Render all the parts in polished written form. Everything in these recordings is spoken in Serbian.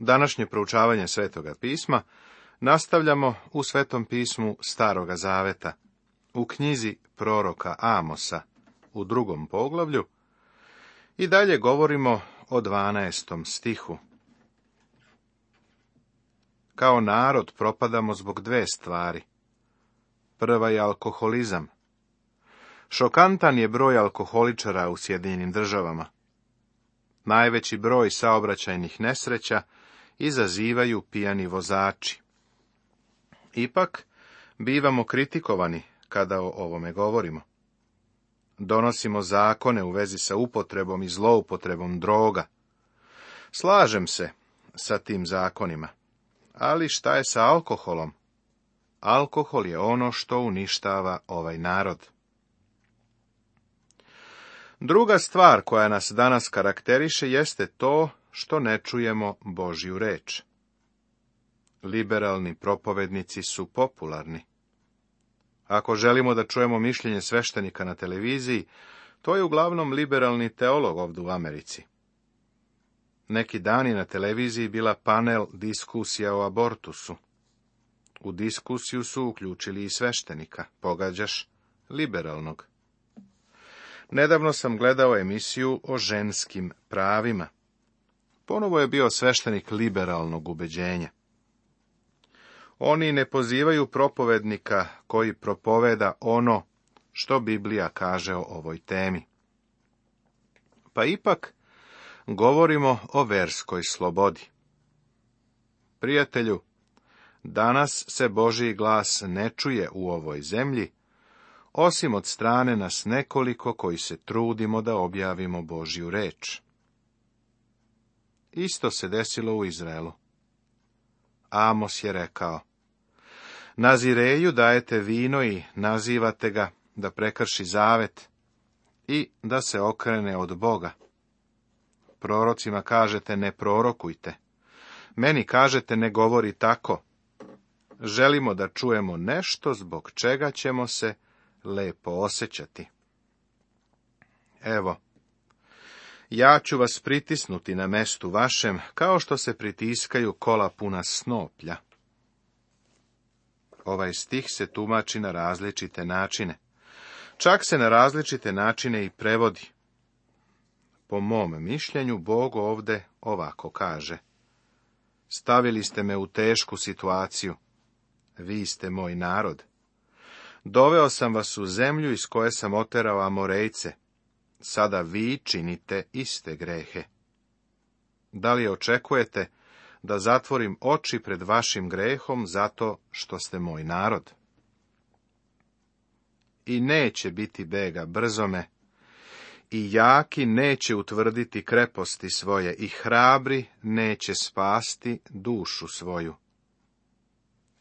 Današnje proučavanje Svetoga pisma nastavljamo u Svetom pismu Staroga zaveta, u knjizi proroka Amosa, u 2. poglavlju, i dalje govorimo o 12. stihu. Kao narod propadamo zbog 2 stvari. Prva je alkoholizam. Šokantan je broj alkoholičara u Sjedinjenim Državama. Najveći broj saobraćajnih nesreća izazivaju pijani vozači. Ipak, bivamo kritikovani kada o ovome govorimo. Donosimo zakone u vezi sa upotrebom i zloupotrebom droga. Slažem se sa tim zakonima, ali šta je sa alkoholom? Alkohol je ono što uništava ovaj narod. Druga stvar koja nas danas karakteriše jeste to što ne čujemo Božju reč. Liberalni propovednici su popularni. Ako želimo da čujemo mišljenje sveštenika na televiziji, to je uglavnom liberalni teolog ovdje u Americi. Neki dan je na televiziji bila panel diskusija o abortusu. U diskusiju su uključili i sveštenika, pogađaš, liberalnog. Nedavno sam gledao emisiju o ženskim pravima. Ponovo je bio sveštenik liberalnog ubeđenja. Oni ne pozivaju propovednika koji propoveda ono što Biblija kaže o ovoj temi. Pa ipak govorimo o verskoj slobodi. Prijatelju, danas se Božji glas ne čuje u ovoj zemlji, osim od strane nas nekoliko koji se trudimo da objavimo Božju reč. Isto se desilo u Izraelu. Amos je rekao: Nazireju dajete vino i nazivate ga da prekrši zavet i da se okrene od Boga. Prorocima kažete ne prorokujte. Meni kažete ne govori tako. Želimo da čujemo nešto zbog čega ćemo se lepo osjećati. Evo, ja ću vas pritisnuti na mestu vašem, kao što se pritiskaju kola puna snoplja. Ovaj stih se tumači na različite načine. Čak se na različite načine i prevodi. Po mom mišljenju, Bog ovdje ovako kaže: Stavili ste me u tešku situaciju. Vi ste moj narod. Doveo sam vas u zemlju iz koje sam oterao Amorejce. Sada vi činite iste grehe. Da li očekujete da zatvorim oči pred vašim grehom zato što ste moj narod? I neće biti bega brzome, i jaki neće utvrditi kreposti svoje, i hrabri neće spasti dušu svoju.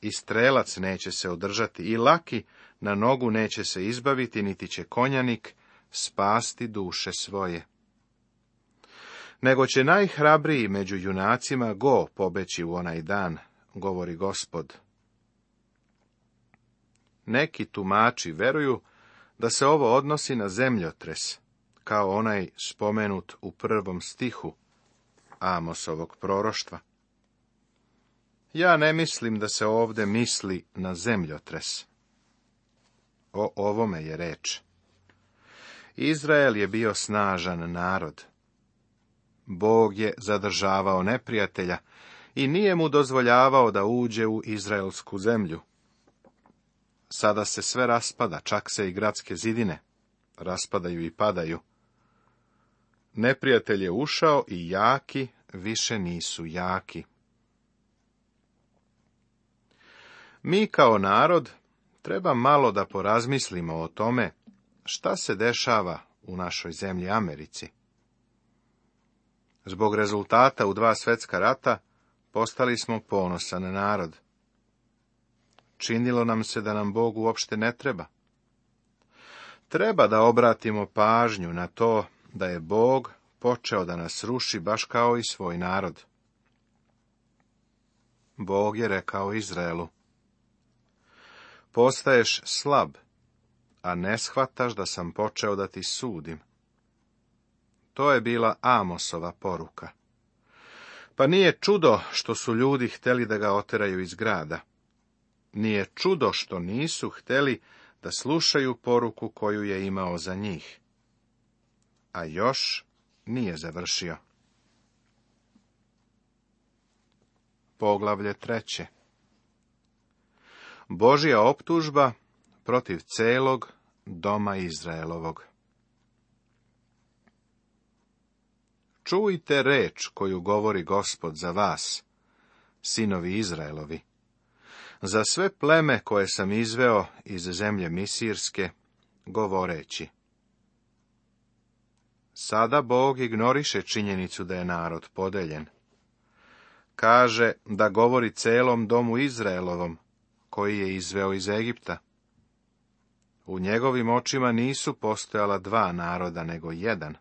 I strelac neće se održati, i laki na nogu neće se izbaviti, niti će konjanik spasti duše svoje. Nego će najhrabriji među junacima go pobeći u onaj dan, govori Gospod. Neki tumači veruju da se ovo odnosi na zemljotres, kao onaj spomenut u 1. stihu Amosovog proroštva. Ja ne mislim da se ovdje misli na zemljotres. O ovome je reč. Izrael je bio snažan narod. Bog je zadržavao neprijatelja i nije mu dozvoljavao da uđe u izraelsku zemlju. Sada se sve raspada, čak se i gradske zidine raspadaju i padaju. Neprijatelj je ušao i jaki više nisu jaki. Mi kao narod treba malo da porazmislimo o tome šta se dešava u našoj zemlji Americi. Zbog rezultata u 2 svjetska rata postali smo ponosan narod. Činilo nam se da nam Bog uopšte ne treba. Treba da obratimo pažnju na to da je Bog počeo da nas ruši baš kao i svoj narod. Bog je rekao Izraelu: Postaješ slab, a ne shvataš da sam počeo da ti sudim. To je bila Amosova poruka. Pa nije čudo što su ljudi htjeli da ga oteraju iz grada. Nije čudo što nisu htjeli da slušaju poruku koju je imao za njih. A još nije završio. Poglavlje 3. Božja optužba protiv celog doma Izraelovog. Čujte reč koju govori Gospod za vas, sinovi Izraelovi, za sve pleme koje sam izveo iz zemlje Misirske, govoreći. Sada Bog ignoriše činjenicu da je narod podeljen. Kaže da govori celom domu Izraelovom, koji je izveo iz Egipta. U njegovim očima nisu postojala dva naroda, nego jedan.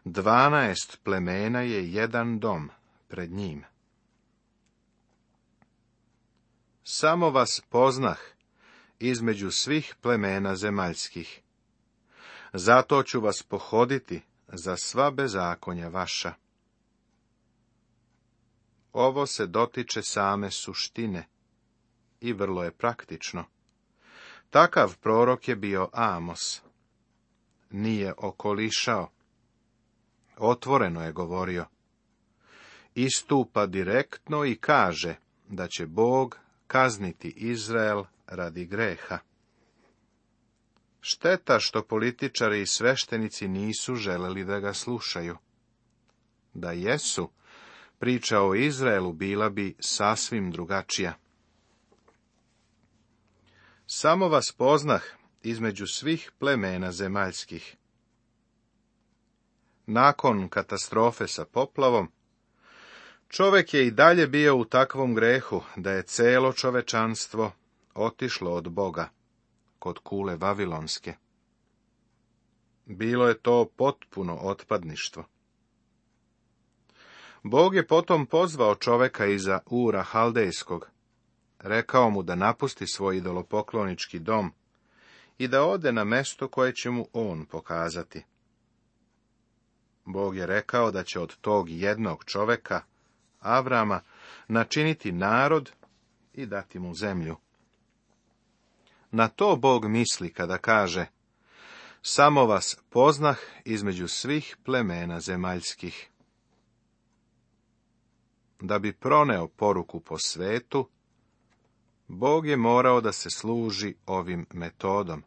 12 plemena je jedan dom pred njim. Samo vas poznah između svih plemena zemaljskih. Zato ću vas pohoditi za sva bezakonja vaša. Ovo se dotiče same suštine i vrlo je praktično. Takav prorok je bio Amos. Nije okolišao. Otvoreno je govorio. Istupa direktno i kaže da će Bog kazniti Izrael radi greha. Šteta što političari i sveštenici nisu želeli da ga slušaju. Da jesu, priča o Izraelu bila bi sasvim drugačija. Samo vas poznah između svih plemena zemaljskih. Nakon katastrofe sa poplavom, čovjek je i dalje bio u takvom grehu da je celo čovečanstvo otišlo od Boga, kod kule Vavilonske. Bilo je to potpuno otpadništvo. Bog je potom pozvao čovjeka iza Ura Haldejskog, rekao mu da napusti svoj idolopoklonički dom i da ode na mesto koje će mu on pokazati. Bog je rekao da će od tog jednog čovjeka, Avrama, načiniti narod i dati mu zemlju. Na to Bog misli kada kaže: samo vas poznah između svih plemena zemaljskih. Da bi proneo poruku po svetu, Bog je morao da se služi ovim metodom.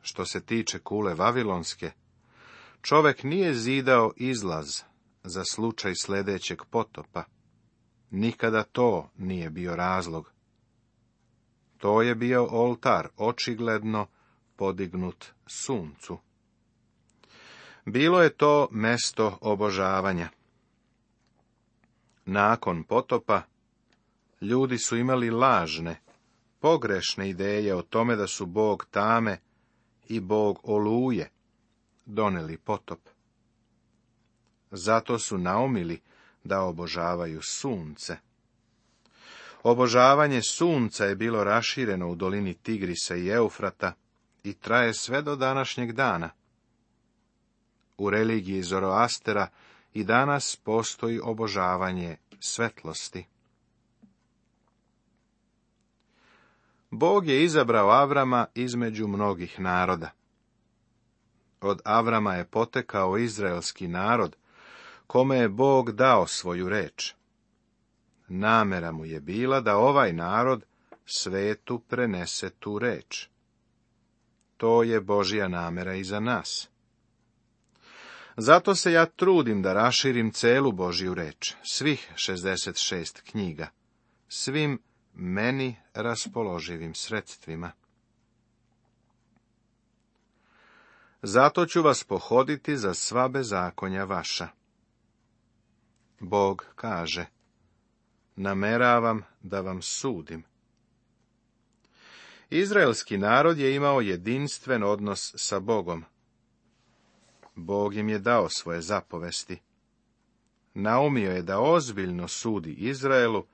Što se tiče kule Vavilonske, čovjek nije zidao izlaz za slučaj sljedećeg potopa. Nikada to nije bio razlog. To je bio oltar očigledno podignut suncu. Bilo je to mesto obožavanja. Nakon potopa, ljudi su imali lažne, pogrešne ideje o tome da su Bog tame i Bog oluje doneli potop. Zato su naumili da obožavaju sunce. Obožavanje sunca je bilo rašireno u dolini Tigrisa i Eufrata i traje sve do današnjeg dana. U religiji Zoroastera i danas postoji obožavanje svetlosti. Bog je izabrao Avrama između mnogih naroda. Od Avrama je potekao izraelski narod, kome je Bog dao svoju reč. Namera mu je bila da ovaj narod svetu prenese tu reč. To je Božja namera i za nas. Zato se ja trudim da raširim celu Božju reč, svih 66 knjiga, svim meni raspoloživim sredstvima. Zato ću vas pohoditi za sva bezakonja vaša. Bog kaže: nameravam da vam sudim. Izraelski narod je imao jedinstven odnos sa Bogom. Bog im je dao svoje zapovesti. Naumio je da ozbiljno sudi Izraelu,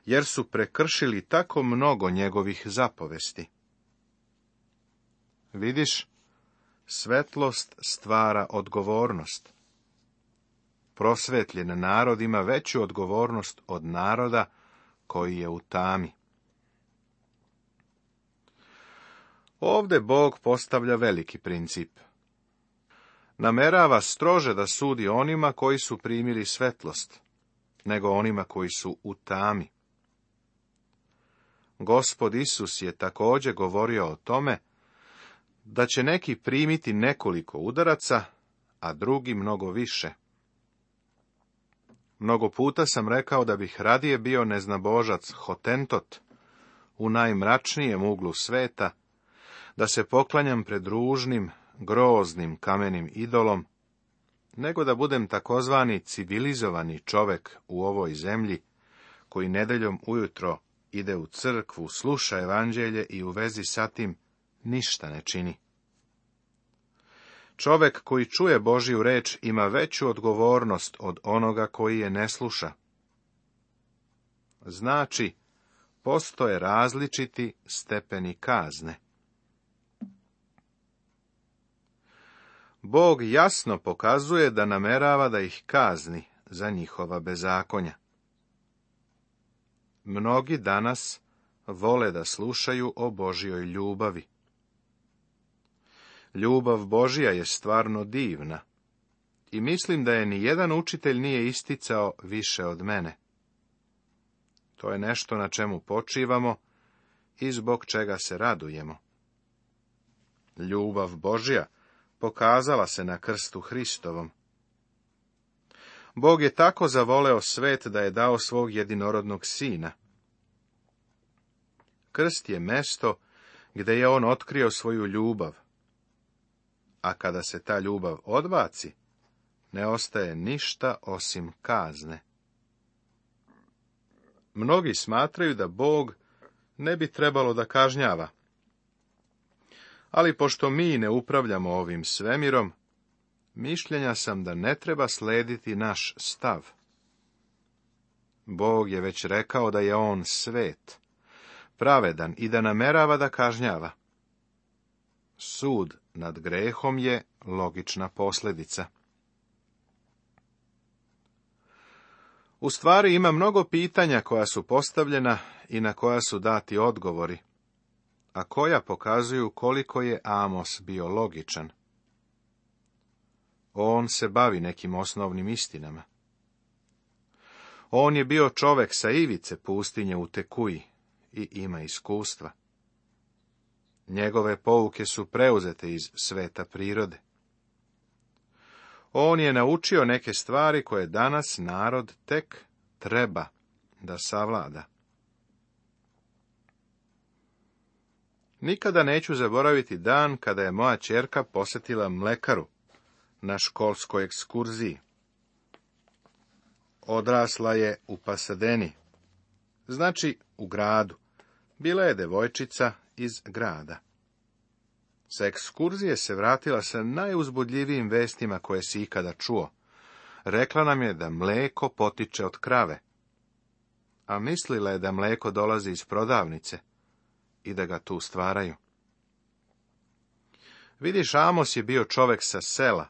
jer su prekršili tako mnogo njegovih zapovesti. Vidiš, svetlost stvara odgovornost. prosvetljen narod ima veću odgovornost od naroda koji je u tami. Ovdje Bog postavlja veliki princip. Namerava strože da sudi onima koji su primili svetlost, nego onima koji su u tami. Gospod Isus je također govorio o tome da će neki primiti nekoliko udaraca, a drugi mnogo više. Mnogo puta sam rekao da bih radije bio neznabožac Hotentot u najmračnijem uglu sveta, da se poklanjam pred ružnim, groznim kamenim idolom, nego da budem takozvani civilizovani čovek u ovoj zemlji, koji nedeljom ujutro ide u crkvu, sluša evanđelje i u vezi sa tim ništa ne čini. Čovek koji čuje Božju reč ima veću odgovornost od onoga koji je ne sluša. Znači, postoje različiti stepeni kazne. Bog jasno pokazuje da namerava da ih kazni za njihova bezakonja. Mnogi danas vole da slušaju o Božjoj ljubavi. Ljubav Božja je stvarno divna i mislim da je ni jedan učitelj nije isticao više od mene. To je nešto na čemu počivamo i zbog čega se radujemo. Ljubav Božja pokazala se na krstu Hristovom. Bog je tako zavoleo svet da je dao svog jedinorodnog sina. Krst je mesto gdje je on otkrio svoju ljubav, a kada se ta ljubav odbaci, ne ostaje ništa osim kazne. Mnogi smatraju da Bog ne bi trebalo da kažnjava. Ali pošto mi ne upravljamo ovim svemirom, mišljenja sam da ne treba slediti naš stav. Bog je već rekao da je on svet, pravedan i da namerava da kažnjava. Sud nad grehom je logična posljedica. U stvari ima mnogo pitanja koja su postavljena i na koja su dati odgovori, a koja pokazuju koliko je Amos bio logičan. On se bavi nekim osnovnim istinama. On je bio čovek sa ivice pustinje u Tekuji i ima iskustva. Njegove pouke su preuzete iz sveta prirode. On je naučio neke stvari koje danas narod tek treba da savlada. Nikada neću zaboraviti dan kada je moja ćerka posjetila mlekaru na školskoj ekskurziji. Odrasla je u Pasadeni, znači u gradu. Bila je devojčica iz grada. Sa ekskurzije se vratila sa najuzbudljivijim vestima koje si ikada čuo. Rekla nam je da mleko potiče od krave, a mislila je da mleko dolazi iz prodavnice i da ga tu stvaraju. Vidiš, Amos je bio čovek sa sela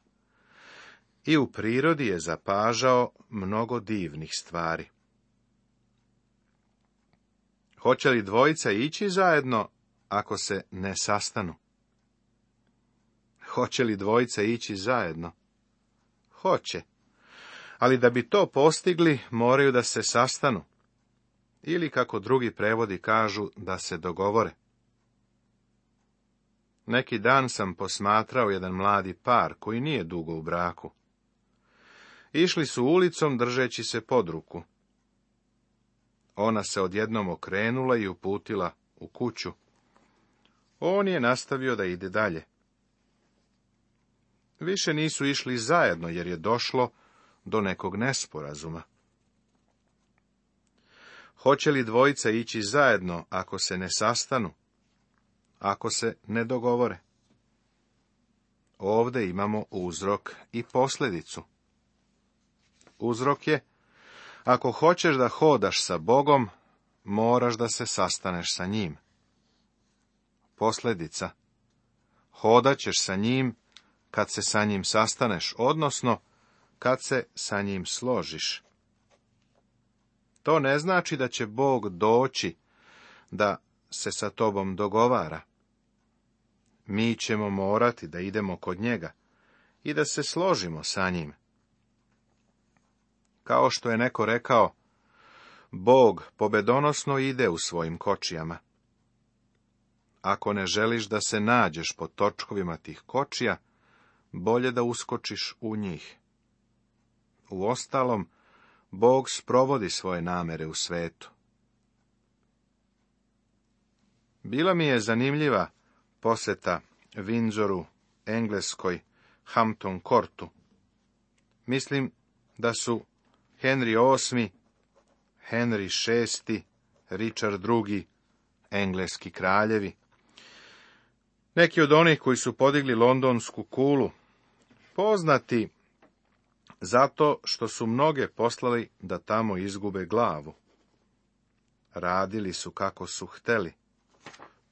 i u prirodi je zapažao mnogo divnih stvari. Hoće li dvojica ići zajedno ako se ne sastanu? Hoće li dvojica ići zajedno? Hoće. Ali da bi to postigli, moraju da se sastanu. Ili, kako drugi prevodi kažu, da se dogovore. Neki dan sam posmatrao jedan mladi par koji nije dugo u braku. Išli su ulicom držeći se pod ruku. Ona se odjednom okrenula i uputila u kuću. On je nastavio da ide dalje. Više nisu išli zajedno jer je došlo do nekog nesporazuma. Hoće li dvojica ići zajedno ako se ne sastanu, ako se ne dogovore? Ovdje imamo uzrok i posljedicu. Uzrok je, ako hoćeš da hodaš sa Bogom, moraš da se sastaneš sa njim. Posljedica, hodat ćeš sa njim kad se sa njim sastaneš, odnosno kad se sa njim složiš. To ne znači da će Bog doći da se sa tobom dogovara. Mi ćemo morati da idemo kod njega i da se složimo sa njim. Kao što je neko rekao, Bog pobedonosno ide u svojim kočijama. Ako ne želiš da se nađeš po točkovima tih kočija, bolje da uskočiš u njih. Uostalom, Bog sprovodi svoje namere u svetu. Bila mi je zanimljiva posjeta Windsoru, Engleskoj, Hampton Courtu. Mislim da su Henry VIII, Henry VI, Richard II, engleski kraljevi, neki od onih koji su podigli londonsku kulu, poznati zato što su mnoge poslali da tamo izgube glavu. Radili su kako su hteli,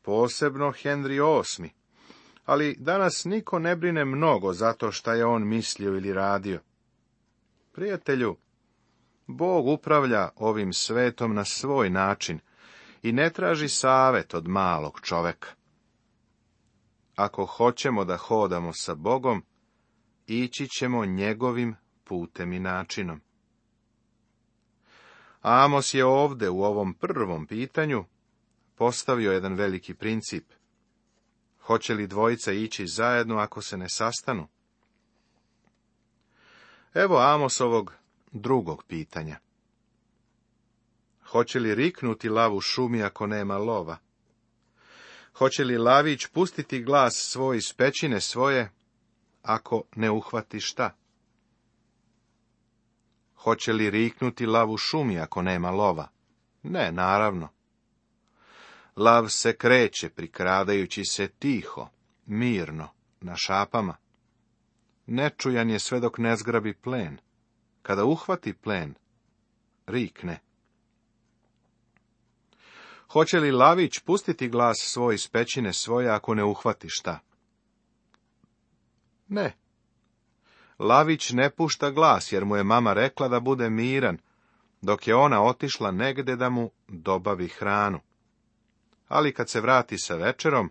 posebno Henry VIII, ali danas niko ne brine mnogo zato šta je on mislio ili radio. Prijatelju, Bog upravlja ovim svetom na svoj način i ne traži savet od malog čoveka. Ako hoćemo da hodamo sa Bogom, ići ćemo njegovim putem i načinom. Amos je ovde u ovom prvom pitanju postavio jedan veliki princip. Hoće li dvojica ići zajedno ako se ne sastanu? Evo Amosovog drugog pitanja. Hoće li riknuti lav u šumi ako nema lova? Hoće li lavić pustiti glas svoj iz pećine svoje ako ne uhvati šta? Hoće li riknuti lav u šumi ako nema lova? Ne, naravno. Lav se kreće prikradajući se tiho, mirno, na šapama. Nečujan je sve dok ne zgrabi plen. Kada uhvati plen, rikne. Hoće li lavić pustiti glas svoj iz pećine svoje ako ne uhvati šta? Ne. Lavić ne pušta glas jer mu je mama rekla da bude miran, dok je ona otišla negde da mu dobavi hranu. Ali kad se vrati sa večerom,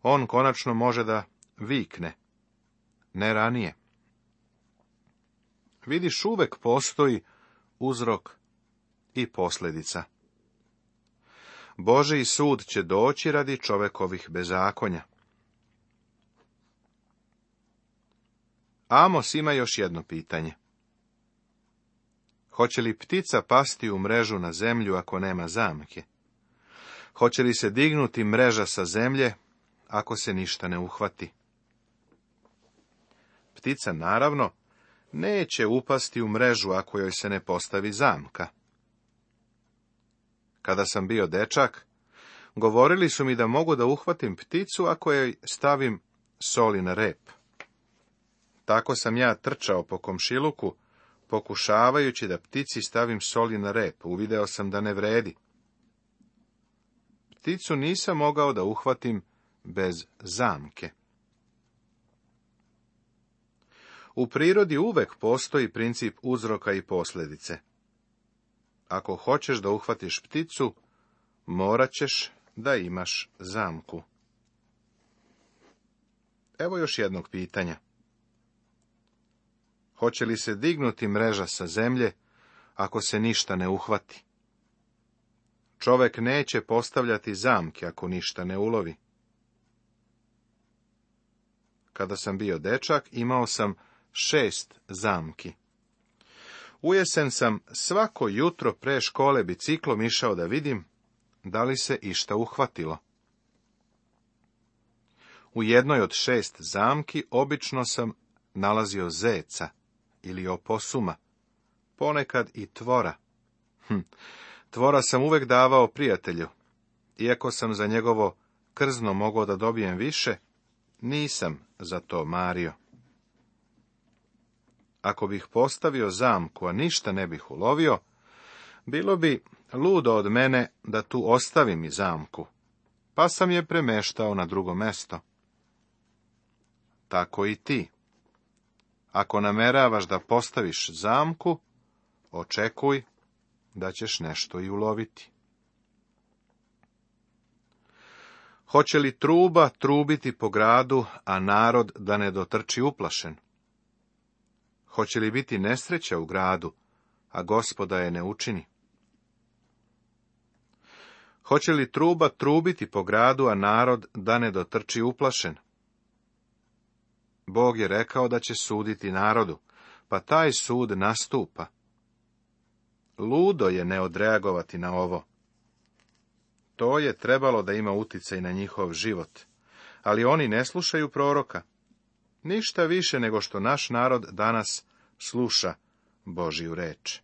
on konačno može da vikne. Ne ranije. Vidiš, uvek postoji uzrok i posljedica. Božji sud će doći radi čovekovih bezakonja. Amos ima još jedno pitanje. Hoće li ptica pasti u mrežu na zemlju ako nema zamke? Hoće li se dignuti mreža sa zemlje ako se ništa ne uhvati? Ptica, naravno, neće upasti u mrežu ako joj se ne postavi zamka. Kada sam bio dečak, govorili su mi da mogu da uhvatim pticu ako joj stavim soli na rep. Tako sam ja trčao po komšiluku, pokušavajući da ptici stavim soli na rep. Uvideo sam da ne vredi. Pticu nisam mogao da uhvatim bez zamke. U prirodi uvek postoji princip uzroka i posljedice. Ako hoćeš da uhvatiš pticu, morat ćeš da imaš zamku. Evo još jednog pitanja. Hoće li se dignuti mreža sa zemlje ako se ništa ne uhvati? Čovek neće postavljati zamke ako ništa ne ulovi. Kada sam bio dečak, imao sam 6 zamki. Ujesen sam svako jutro pre škole biciklom išao da vidim da li se išta uhvatilo. U jednoj od 6 zamki obično sam nalazio zeca ili oposuma, ponekad i tvora. Tvora sam uvek davao prijatelju. Iako sam za njegovo krzno mogao da dobijem više, nisam za to mario. Ako bih postavio zamku, a ništa ne bih ulovio, bilo bi ludo od mene da tu ostavim i zamku, pa sam je premeštao na drugo mesto. Tako i ti. Ako nameravaš da postaviš zamku, očekuj da ćeš nešto i uloviti. Hoće li truba trubiti po gradu, a narod da ne dotrči uplašen? Hoće li biti nesreća u gradu, a Gospoda je ne učini? Hoće li truba trubiti po gradu, a narod da ne dotrči uplašen? Bog je rekao da će suditi narodu, pa taj sud nastupa. Ludo je ne odreagovati na ovo. To je trebalo da ima uticaj na njihov život, ali oni ne slušaju proroka. Ništa više nego što naš narod danas sluša Božju reč.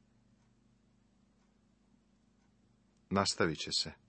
Nastavit će se.